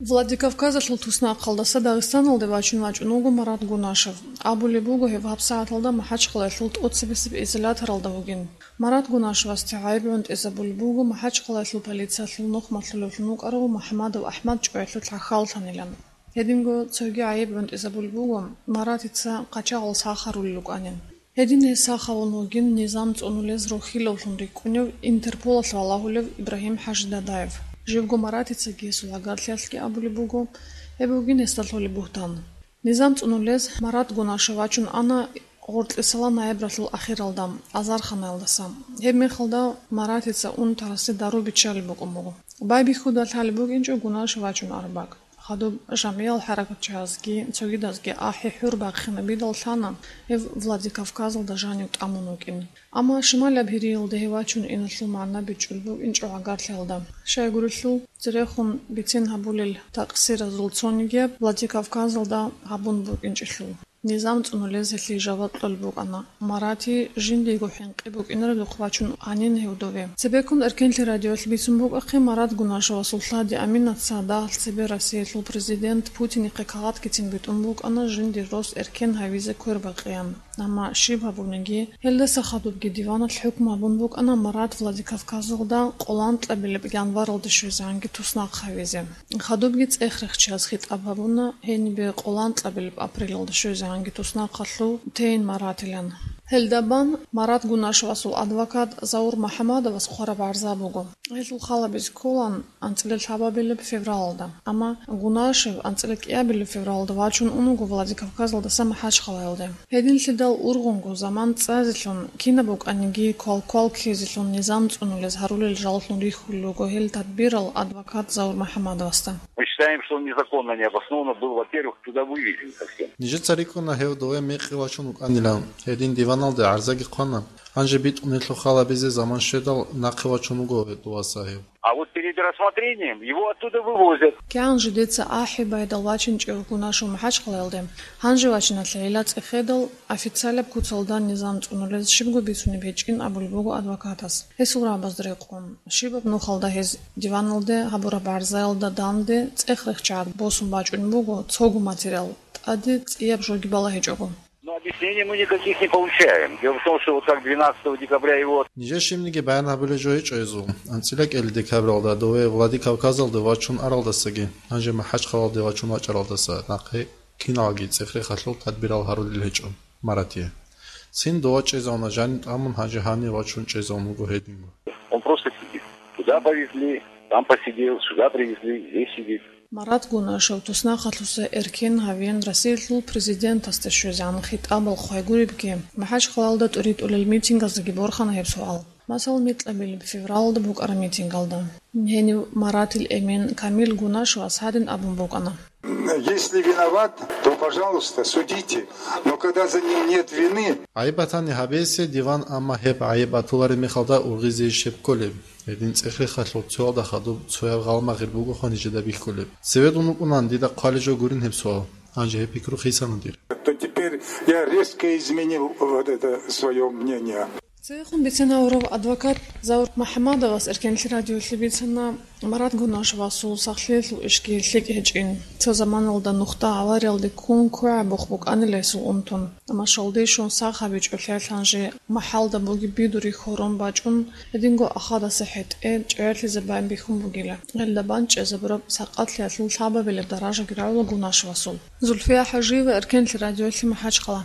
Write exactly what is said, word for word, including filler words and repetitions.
Владикавказалъул туснахъалдаса Дагъистаналде вачун вачӀун вуго Марат Гунашев. Абулеб буго, гьев гьабсагӀаталда МахӀачхъалаялъул тӀоцебесеб изоляторалда вугин. Марат Гунашевасде гӀайиб гӀунтӀизабулеб буго МахӀачхъалаялъул полициялъул нухмалъулевлъун вукӀарав МухӀамадов АхӀмад чӀваялъул хӀахьаллъанилан. Гьединго цоги гӀайиб гӀунтӀизабулеб буго Маратица къачагъал сахарулел рукӀанин. Гьедин гьес сахавун вугин низам цӀунулез рохьилавлъун рикӀкӀунев, Интерполалъ валагьулев Ибрагьим ХӀажидаддаев. Живго Маратицаги гьесул гӀагарлъиялъги абулеб буго, гьеб бугин гьесда лъолеб бугьтан. Низам цӀунулез Марат Гунашев вачун ана гъоркьисала ноябралъул ахиралда, азарханаялдаса. Гьебмехалда Маратица унтарасе дару биччалеб букӀун буго. Байбихьуда лъалеб букӀинчӀо Гунашев вачун араб бакӀ. Хадуб жамгӀиял хӀаракатчагӀазги цогидазги ахӀи-хӀур бахъинабидал лъана гьев Владикавказалда жанив тӀамун вукӀин. Амма шималаб Гьириялде гьев вачун иналъул магӀна бичӀчӀулеб букӀинчӀо гӀагарлъиялда. Щайгурелъул, церехун бицен гьабулел такъсиразул цонигияб Владикавказалда гьабун букӀинчӀелъул. Низам цӀунулез гьелъие жаваб кьолеб букӀана. Марати жиндиего хӀинкъи букӀинаредухъ вачун анин гьев дове. Цебеккун Эркенлъи радиоялъ бицун букӀахъе, Марат Гунашевасул лъади Аминаца дагьалъ цебе Россиялъул президент Путинихъе кагъатгицин битӀун букӀана жиндир рос эркен гьавизе квербакъеян. Амма щиб гьабуниги, гьелдаса хадубги диваналъ хӀукму гьабун букӀана Марат Владикавказалда къоланкьабилеб январалде щвезегӀанги туснахъ гьавизе. Хадубги цӀех рехчияз хитӀаб гьабуна гьенибе къоланкьабилеб апрелалда щвезегӀанги туснахъалъув тейин Маратилан. Гьелда бан Марат Гунашевасул адвокат Заур МухӀамадовас хъвараб гӀарза буго. Гьелъул халабизе кколаан анцӀила лъабабилеб февралалда, амма Гунашев анцӀила кӀиабилеб февралалда вачун ун вуго Владикавказалдаса МахӀачхъалаялде. Гьединлъидал ургъунго заман цӀазелъун, кинаб букӀаниги квал-квал ккезелъун низам цӀунулез гьарулел жаллъун рихьулел руго гьел тадбирал адвокат Заур МухӀамадовасда. Мы считаем, что он незаконно, необоснованно был, во-первых, туда вывезен совсем. Нижеца рикӀкӀуна гьев дове мекъи вачун вукӀанилан, гьедин диваналде гӀарзаги хъвана. Гьанже битӀун гьелъул халабизе заман щведал, нахъе вачун вуго гьев доваса гьев. А вот перед рассмотрением его оттуда вывозят. КигӀан жидеца ахӀи байдал вачинчӀев Гунашев МахӀачхъалаялде, гьанже вачиналъе гьела цӀехедал, официалаб куцалда низам цӀунулез щибго бицунеб гьечӀин абулеб буго адвокатас. Гьесул рагӀабазда рекъон, щибаб нухалда гьез диваналде гьабураб гӀарзаялда данде цӀех рехчагӀат босун бачӀунеб буго цого материал, тӀаде цӀияб жоги балагьичӀого. Но объяснений мы никаких не получаем. Дело в том, что вот как двенадцатого декабря его... Нижер щибниги баян гьабулеб жо гьечӀо гьезул. АнцӀила кӀел декабралда дове Владикавказалде вачун аралдасаги, гьанже МахӀачхъалаялде вачун вачӀаралдаса нахъе киналги цӀех-рехалъул тадбирал гьарулел гьечӀо Маратие. Цин дова чӀезавуна жанив тӀамун, гьанже гьанив вачун чӀезавун вуго гьединго. Он просто сидит. Туда повезли, там посидел, сюда привезли, здесь сидит. Марат Гунашев туснахъалъуса эркен гьавиен Россиялъул президентасда щвезегӀан хитӀабал хъвай гуребги, МахӀачхъалаялда тӀуритӀулел митингаздаги борхана гьеб суал. Масал, микьабилеб февралалда букӀараб митингалда. Гьенив Маратил эмен Камил Гунашевас гьадин абун букӀана. Если виноват, то, пожалуйста, судите. Но когда за ним нет вины... ГӀайиб батани гьабизе диван, амма гьеб гӀайиб батулареб мехалда ургъизе иш гьеб кколеб. Гьедин цӀех-рехалъул цоялда хадуб цояб гъалмагъир бугоха нижеда бихьулеб. Цеве дун вукӀунан дида хъвалеб жо гурин гьеб суал. Гьанже гьеб пикру хисана дир. То теперь я резко изменил вот это своё мнение. Цевехун бицен гьавурав адвокат Заур МухӀамадовас Эркенлъи радиолъе бицана Марат Гунашевасул сахлъиялъул ишги лъикӀ гьечӀин. Цо заманалда нухда авариялде ккун квегӀабухъ букӀанила гьесул унтун. Амма щалде щун сах гьабичӀолъиялъ гьанже махӀалда бугеб бидури хьорун бачӀун, гьединго ахадаса хӀетӀе чӀегӀерлъизе бан бихьун бугила. Гьелда бан чӀезабураб сакъатлъиялъул лъабабилеб даражаги рагӀула Гунашевасул. Зульфия ХӀажиева, Эркенлъи радиолъи, МахӀачхъала.